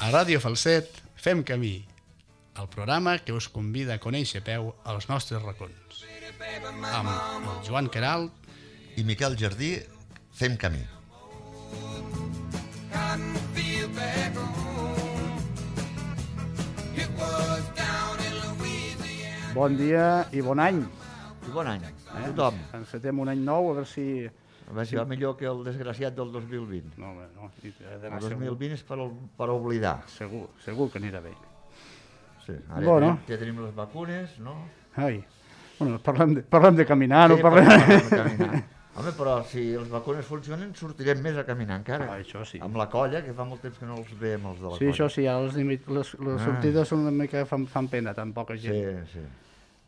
A Ràdio Falset fem camí, el programa que us convida a conèixer a peu els nostres racons. Amb el Joan Queralt i Miquel Jardí fem camí. Bon dia i bon any. I bon any, a tothom. Encetem un any nou, a veure si... A veure si va millor que el desgraciat del 2020. No, home, no. El 2020 és per oblidar. Segur que anirà bé. Sí, ara Bueno. ja tenim les vacunes, no? Ai, bueno, parlem de caminar, Sí, no parlem... parlem de caminar. Home, però si les vacunes funcionen, sortirem més a caminar encara. Ah, això sí. Amb la colla, que fa molt temps que no els veiem, els de la Sí, colla. això sí, ara les sortides són una mica... fan pena, tan poca gent. Sí.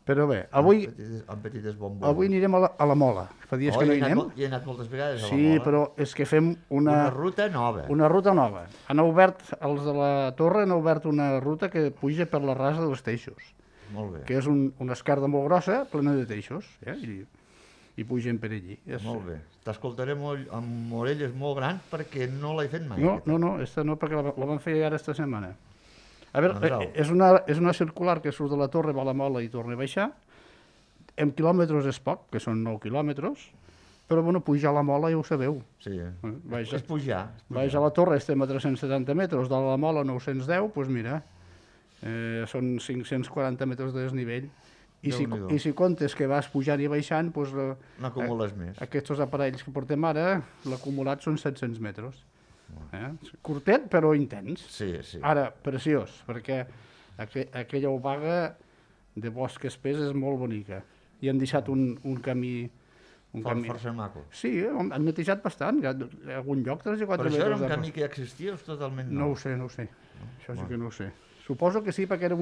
Però bé, avui Amb petites bombones. avui anirem a la Mola. Fa dies que no hi anem. Hi he anat moltes vegades a la Sí, Mola. però és que fem Una ruta nova. una ruta nova. Han obert, els de la Torre han obert una ruta que puja per la rasa dels teixos, Molt bé. que és una esquerda molt grossa, plena de teixos, i pugen per allí. Molt bé. T'escoltaré amb orelles molt grans perquè no l'he fet mai. No, esta no, perquè la van fer ara esta setmana. A veure, Doncs és una circular que surt de la Torre, va a la Mola i torna a baixar. En quilòmetres és poc, que són 9 quilòmetres, però bueno, pujar a la Mola ja ho sabeu. Sí. Vaja. És pujar. Baix a la Torre estem a 370 metres, de la Mola 910, doncs mira, són 540 metres de desnivell. Déu-n'hi-do. I si comptes que vas pujant i baixant, doncs N'acumules més. aquests aparells que portem ara, l'acumulat són 700 metres. Curtet, però intens. Sí. Ara, preciós, perquè aquella obaga de bosc espès és molt bonica. I han deixat un camí... Força maco. Sí, han netejat bastant. Hi ha algun lloc 3 o 4 Però metres. això era un camí que ja existia o és totalment nou? No ho sé. Això sí que no ho sé. Suposo que sí, perquè era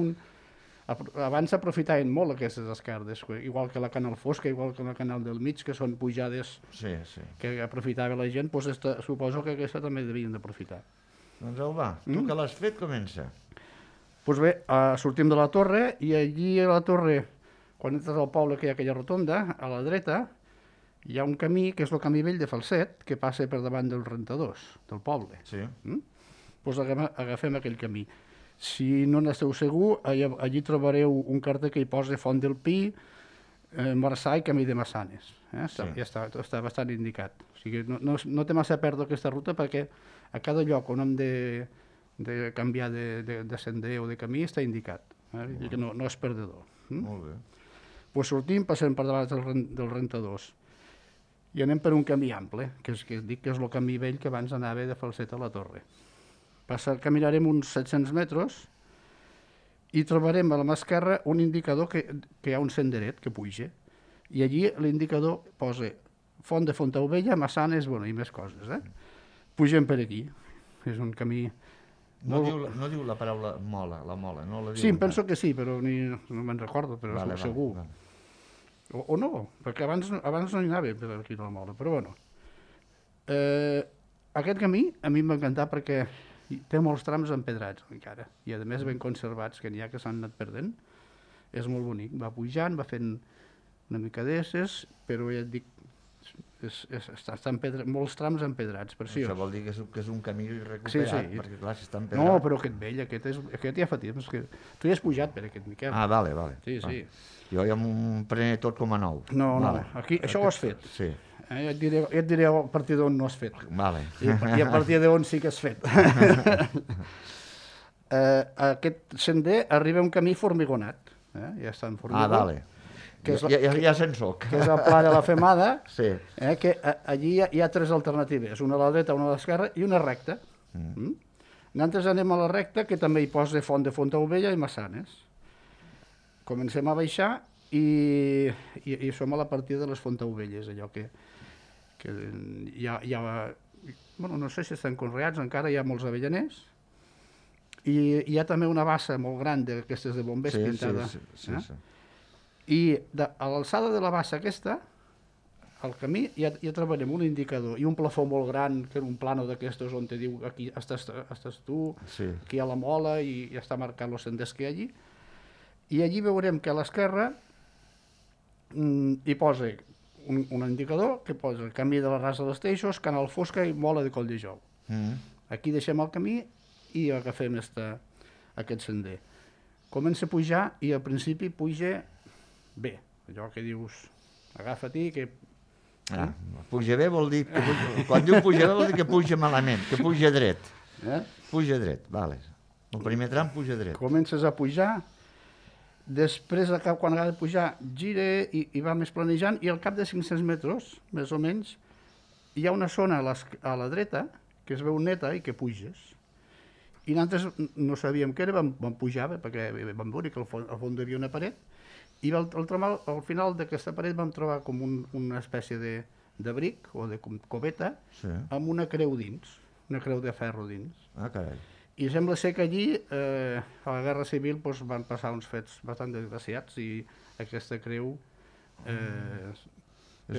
abans s'aprofitaven molt aquestes esquerdes, igual que la Canal Fosca, igual que la Canal del Mig, que són pujades Sí. que aprofitava la gent, doncs suposo que aquesta també devien d'aprofitar. Doncs au, va, tu que l'has fet, comença. Doncs bé, sortim de la Torre i allí a la Torre, quan entres al poble que hi ha aquella rotonda, a la dreta, hi ha un camí, que és el camí vell de Falset, que passa per davant dels rentadors del poble. Sí. Doncs agafem aquell camí. Si no n'esteu segur, allí trobareu un carter que hi posa Font del Pi, Marçà i Camí de Massanes. Ja està bastant indicat. O sigui, no té massa a perdre aquesta ruta perquè a cada lloc on hem de canviar de sender o de camí està indicat. Que no és perdedor. Molt bé. Doncs sortim, passem per davant dels rentadors i anem per un camí ample, que dic que és el camí vell que abans anava de Falset a la Torre. Caminarem uns 700 metres i trobarem a la mà esquerra un indicador que hi ha un senderet que puja. I allí l'indicador posa Font de Fontaubella, Massanes, i més coses. Pugem per aquí. És un camí... No diu la paraula mola, la mola, no la diu. Sí, em penso que sí, però no me'n recordo, però segur. O no, perquè abans no hi anava per aquí a la mola, però bueno. Aquest camí a mi m'ha encantat perquè té molts trams empedrats encara, i a més ben conservats, que n'hi ha que s'han anat perdent. És molt bonic, va pujant, va fent una mica d'esses, però ja et dic, està molts trams empedrats, preciós. Això vol dir que és un camí recuperat, perquè clar, si està empedrat... No, però aquest vell, aquest ja fa temps, que tu hi has pujat per aquest, Miquel. Ah, vale. Sí. Jo ja m'ho prené tot com a nou. No, aquí això ho has fet. Sí. Ja et diré a partir d'on no has fet. Vale. I a partir d'on sí que has fet. Aquest sender arriba a un camí formigonat. Ja està en formigó. Ah, vale. Ja se'n soc. Que és el Pla de la Femada. Sí. Que allí hi ha 3 alternatives, una a la dreta, una a l'esquerra i una recta. Nosaltres anem a la recta, que també hi posa Font de Fontaubella i Massanes. Comencem a baixar i som a la partida de les Fontaubelles, allò que hi ha... Bueno, no sé si estan conreats, encara hi ha molts avellaners, i hi ha també una bassa molt gran d'aquestes de bombers pintada. Sí. I a l'alçada de la bassa aquesta, al camí, ja trobarem un indicador i un plafó molt gran, que era un plano d'aquestos on te diu aquí estàs tu, aquí hi ha la Mola i ja està marcat els senders que hi ha allí. I allí veurem que a l'esquerra hi posa un indicador que posa Camí de la Rasa dels Teixos, Canal Fosca i Mola de Colldejou. Aquí deixem el camí i agafem aquest sender. Comença a pujar i al principi puja bé, allò que dius, agafa-t'hi, que... Puja bé vol dir... Quan diu puja bé vol dir que puja malament, que puja dret. Puja dret, vale. El primer tram puja dret. Comences a pujar, després, quan acaba de pujar, gira i va més planejant, i al cap de 500 metres, més o menys, hi ha una zona a la dreta que es veu neta i que puges. I nosaltres no sabíem què era, vam pujar, perquè vam veure que al fons hi havia una paret, i al final d'aquesta paret vam trobar com una espècie de bric o de coveta amb una creu dins, una creu de ferro dins. Carai. I sembla ser que allí, a la Guerra Civil, van passar uns fets bastant desgraciats i aquesta creu és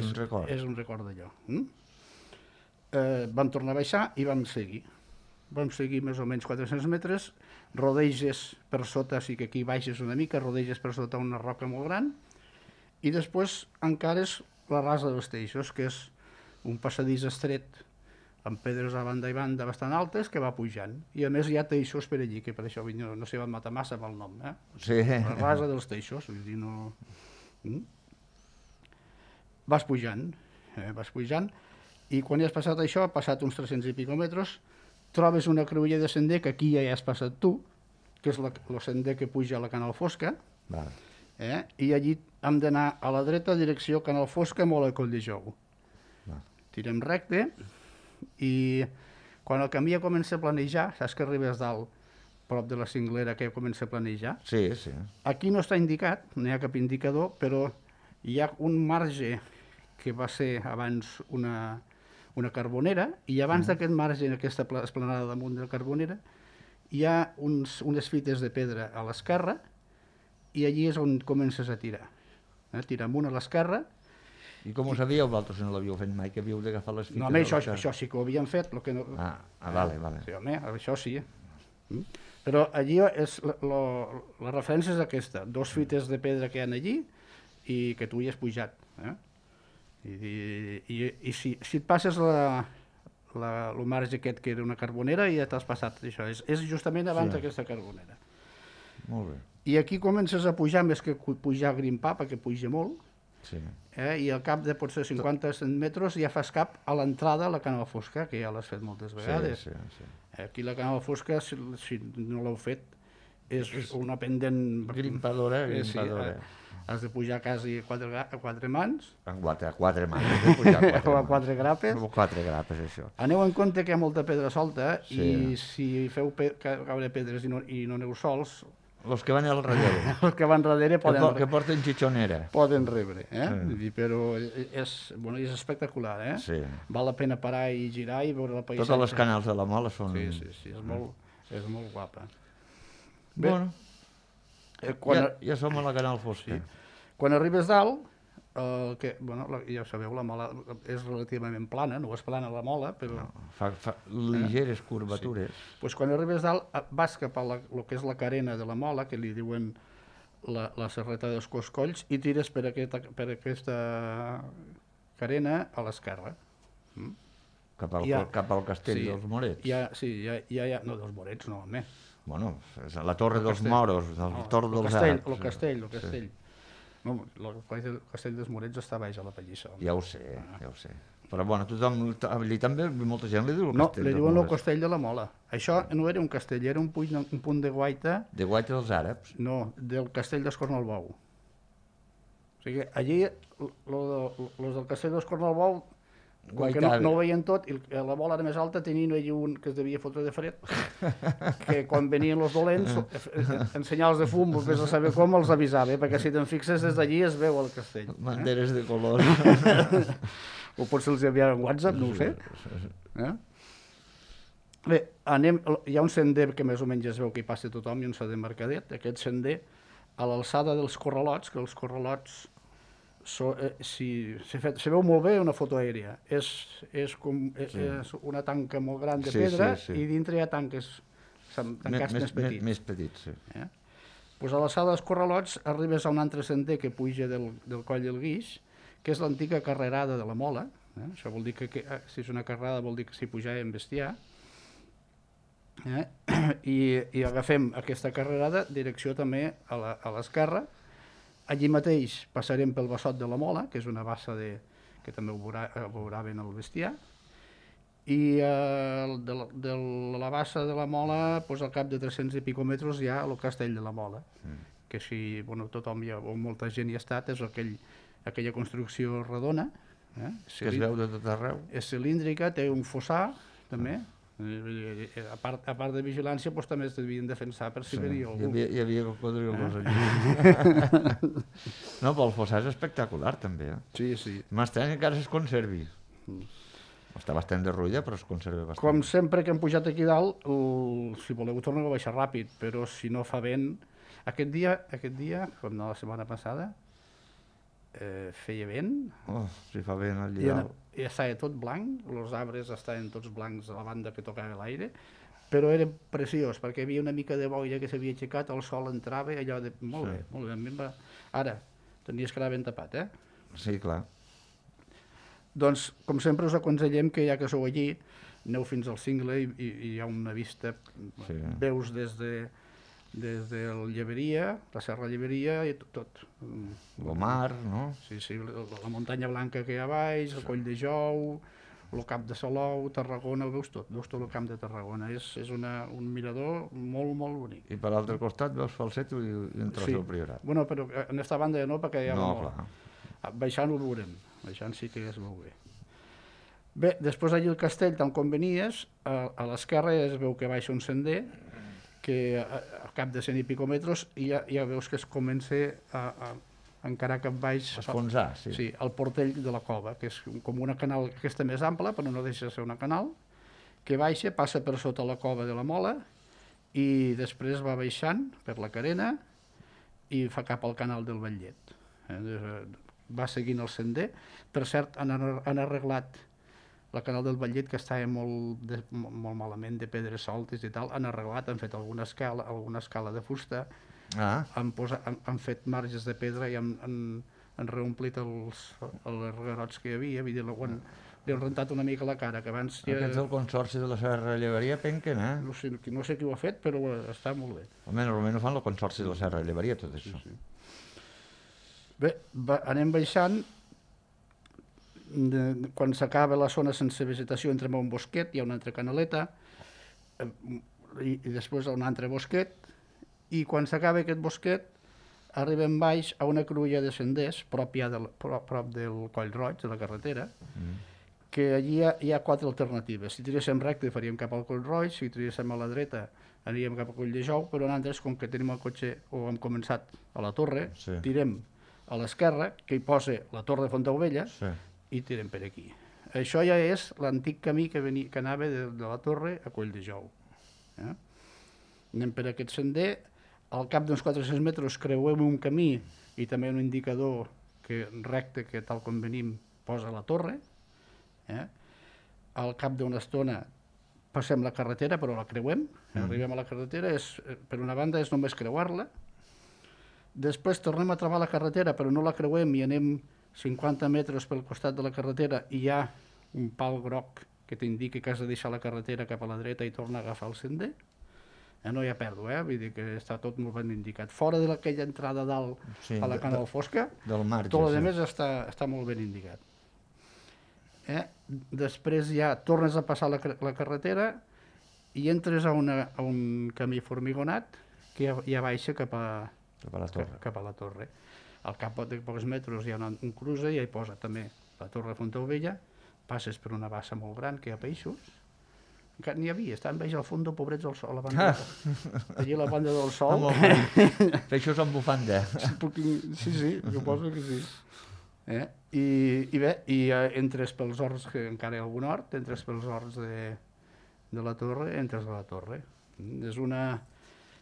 un record. És un record d'allò. Vam tornar a baixar i vam seguir. Vam seguir més o menys 400 metres, rodeges per sota, sí que aquí baixes una mica, rodeges per sota una roca molt gran, i després encara és la rasa dels teixos, que és un passadís estret amb pedres a banda i banda bastant altes que va pujant. I a més hi ha teixos per allí, que per això no s'hi van matar massa amb el nom. Sí. La rasa dels teixos, vull dir, no... Vas pujant, i quan ja has passat això, ha passat uns 300 i pico metres, trobes una cruïlla de sender, que aquí ja has passat tu, que és el sender que puja a la Canal Fosca, i allí hem d'anar a la dreta, direcció Canal Fosca, molt a Coll de Jou. Tirem recte, i quan el camí ja comença a planejar, saps que arribes dalt, prop de la cinglera, que comença a planejar? Sí. Aquí no està indicat, no hi ha cap indicador, però hi ha un marge que va ser abans una carbonera, i abans d'aquest marge, en aquesta esplanada damunt de la carbonera, hi ha unes fites de pedra a l'esquerra, i allí és on comences a tirar. Tirar amunt a l'esquerra. I com ho sabíeu vosaltres, si no l'havíeu fet mai, que havíeu d'agafar les fites? No, home, això sí que ho havíem fet. Vale. Sí, home, això sí. Però allí la referència és aquesta, 2 fites de pedra que hi ha allí i que tu hi has pujat. I si et passes el marge aquest que era una carbonera, ja t'has passat això. És justament abans d'aquesta carbonera. Molt bé. I aquí comences a pujar, més que pujar a grimpar, perquè puja molt, i al cap de potser 50 metres ja fas cap a l'entrada a la Canal Fosca, que ja l'has fet moltes vegades. Aquí la Canal Fosca, si no l'heu fet, és una pendent... Grimpadora. Has de pujar quasi a 4 mans. A 4 mans, has de pujar a 4 mans. O a 4 grapes. O 4 grapes, això. Aneu en compte que hi ha molta pedra solta, i si feu caure pedres i no aneu sols... Els que van al darrere. Els que van darrere poden... Que porten xitxonera. Poden rebre, però és espectacular, Sí. Val la pena parar i girar i veure la paisatge. Totes les canals de la Mola són... Sí, és molt guapa. Bueno, ja som a la Canal Fosca. Quan arribes dalt, ja ho sabeu, la Mola és relativament plana, no és plana la Mola, però... Fa ligeres curvatures. Doncs quan arribes dalt, vas cap a el que és la carena de la Mola, que li diuen la serreta dels Coscolls, i tires per aquesta carena a l'esquerra. Cap al castell dels Morets. No, dels Morets, no, home. Bueno, la Torre dels Moros, el Torre dels Àrabs. El castell. No, el castell dels Morets està baix a la Pallissa. Ja ho sé. Però bueno, tothom, allí també molta gent li diu el castell dels Morets. No, li diuen el castell de la Mola. Això no era un castell, era un punt de guaita... De guaita dels àrabs? No, del castell d'Escornalbou. O sigui, allí, els del castell d'Escornalbou, com que no ho veien tot, i la bola era més alta, tenien allí un que es devia fotre de fred, que quan venien els dolents, en senyals de fum, vés a saber com, els avisava, perquè si te'n fixes des d'allí es veu el castell. Banderes de color. O potser els hi havia en WhatsApp, no ho sé. Bé, hi ha un sender que més o menys es veu que hi passa tothom, i un sender Mercadet. Aquest sender, a l'alçada dels corralots, que els corralots se veu molt bé una foto aèria. És una tanca molt gran de pedra i dintre hi ha tancats més petits. Més petits, sí. Doncs a l'alçada dels corralots arribes a un altre sender que puja del Coll del Guix, que és l'antiga carrerada de la Mola. Això vol dir que si és una carrerada vol dir que s'hi pujava en bestiar. i agafem aquesta carrerada, direcció també a l'esquerra. Allí mateix passarem pel Bassot de la Mola, que és una bassa que també ho veurà ben el bestiar, i de la bassa de la Mola, doncs, al cap de 300 i pico metres hi ha el Castell de la Mola, que si tothom o molta gent hi ha estat, és aquella construcció redona, que es veu de tot arreu. És cilíndrica, té un fossar també, a part de vigilància també es devien defensar per si venia algú. Hi havia cocodrils allà. No, però el fossar és espectacular també. Sí, sí. M'estrany que encara es conservi. Està bastant derruïda, però es conserva bastant. Com sempre que hem pujat aquí dalt, si voleu torneu a baixar ràpid, però si no fa vent... Aquest dia, com no la setmana passada, feia vent. Si fa vent al litoral. I estava tot blanc, els arbres estaven tots blancs a la banda que tocava l'aire, però era preciós, perquè hi havia una mica de boira que s'havia aixecat, el sol entrava, allò de... Molt bé, molt bé. Ara, tenies que anar ben tapat, Sí, clar. Doncs, com sempre, us aconsellem que ja que sou allí, aneu fins al Cingle i hi ha una vista, veus des de Lleberia, la Serra Lleberia i tot. El mar, no? Sí, la muntanya blanca que hi ha baix, el Coll de Jou, el Cap de Salou, Tarragona, ho veus tot el camp de Tarragona. És un mirador molt, molt bonic. I per l'altre costat veus Falset i un tros del Priorat. Bueno, però en aquesta banda no, perquè hi ha molt... Baixant ho veurem, baixant sí que es veu bé. Bé, després allí el castell, tal com venies, a l'esquerra es veu que baixa un sender, que al cap de 100 i pico metres ja veus que es comença a encarar cap baix... Esfonsar, sí. Sí, el portell de la cova, que és com una canal aquesta més ampla, però no deixa de ser una canal, que baixa, passa per sota la cova de la Mola i després va baixant per la Carena i fa cap al canal del Batllet. Va seguint el sender. Per cert, han arreglat la canal del Batllet, que estava molt malament, de pedres soltes i tal, han arreglat, han fet alguna escala de fusta, han fet marges de pedra i han reomplit els reguerots que hi havia, li han rentat una mica la cara, que abans... Aquests del Consorci de la Serra Lleberia penquen, No sé qui ho ha fet, però està molt bé. Almenys ho fan el Consorci de la Serra Lleberia, tot això. Bé, anem baixant. Quan s'acaba la zona sense vegetació entrem a un bosquet, hi ha una altra canaleta i després a un altre bosquet, i quan s'acaba aquest bosquet arribem baix a una cruïlla de senders prop del Coll Roig, de la carretera, que allí hi ha 4 alternatives. Si tiréssim recte faríem cap al Coll Roig, si tiréssim a la dreta aniríem cap al Coll de Jou, però nosaltres, com que tenim el cotxe o hem començat a la torre, tirem a l'esquerra, que hi posa la torre de Fontaubella, i tirem per aquí. Això ja és l'antic camí que anava de la torre a Coll de Jou. Anem per aquest sender, al cap d'uns 400 metres creuem un camí i també un indicador recte que tal com venim posa la torre. Al cap d'una estona passem la carretera, però la creuem, arribem a la carretera, per una banda és només creuar-la, després tornem a trobar la carretera però no la creuem i anem 50 metres pel costat de la carretera i hi ha un pal groc que t'indica que has de deixar la carretera cap a la dreta i tornar a agafar el sender. No hi ha pèrdua, vull dir que està tot molt ben indicat. Fora d'aquella entrada dalt a la Canal Fosca, tot el més està molt ben indicat. Després ja tornes a passar la carretera i entres a un camí formigonat que ja baixa cap a la torre. Al cap de pocs metres hi ha un cruce i hi posa també la torre de Fontaubella, passes per una bassa molt gran que hi ha peixos, encara n'hi havia, estaven baix al fons, pobrets al sol, a la banda allí a la banda del sol. Peixos amb bufanda. Sí, suposo que sí. I bé, entres pels horts, que encara hi ha algun hort, entres pels horts de la torre, entres a la torre. És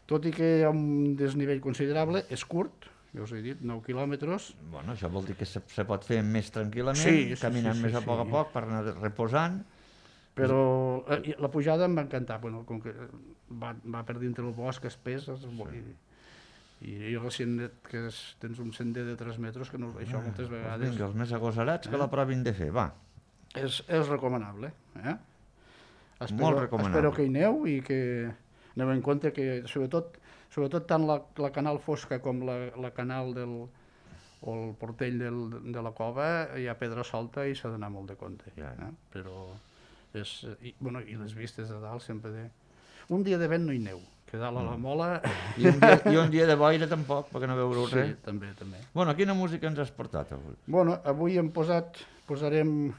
tot i que hi ha un desnivell considerable, és curt, ja us he dit, 9 quilòmetres. Bueno, això vol dir que se pot fer més tranquil·lament, caminant més a poc per anar reposant. Però la pujada em va encantar, com que va per dintre el bosc espès, i recient que tens un sender de 3 metres, que això moltes vegades... Vinga, els més agosarats que la provin de fer, va. És recomanable. Molt recomanable. Espero que hi aneu i que... Aneu en compte que, sobretot tant la canal fosca com la canal o el portell de la cova, hi ha pedra solta i s'ha d'anar molt de compte. Però i les vistes de dalt sempre un dia de vent no hi neu, que dalt a la Mola... I un dia de boira tampoc, perquè no veureu res. Sí, també. Bueno, quina música ens has portat avui? Bueno, avui posarem,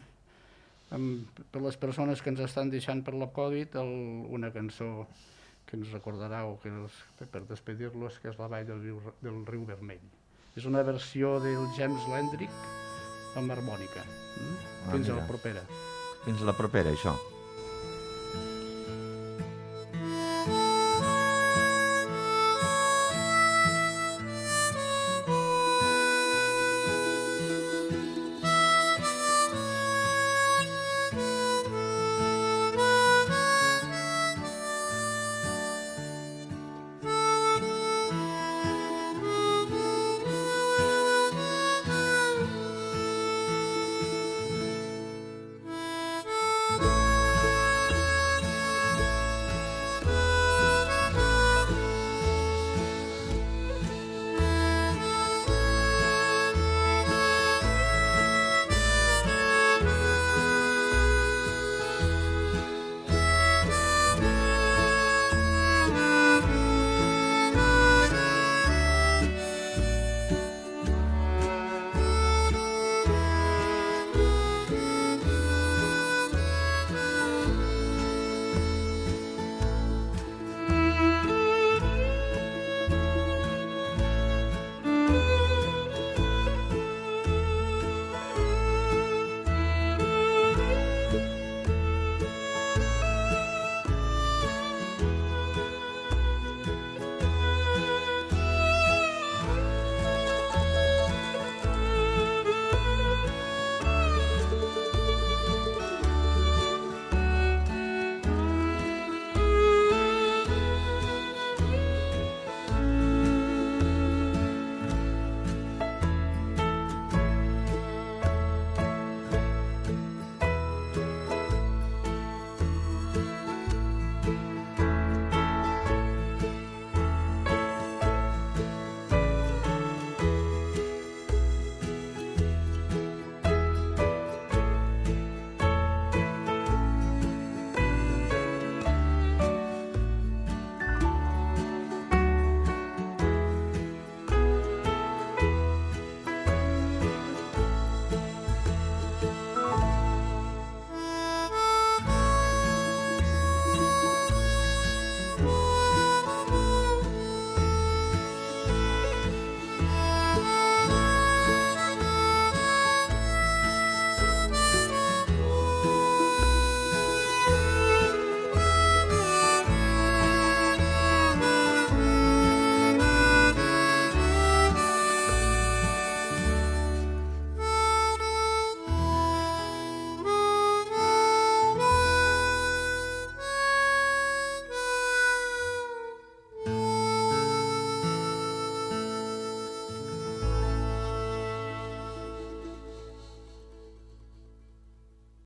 per les persones que ens estan deixant per la Covid, una cançó que ens recordarà per despedir-los, que és La vall del riu Vermell. És una versió del James Landrick amb harmònica. Fins a la propera. Fins a la propera, això.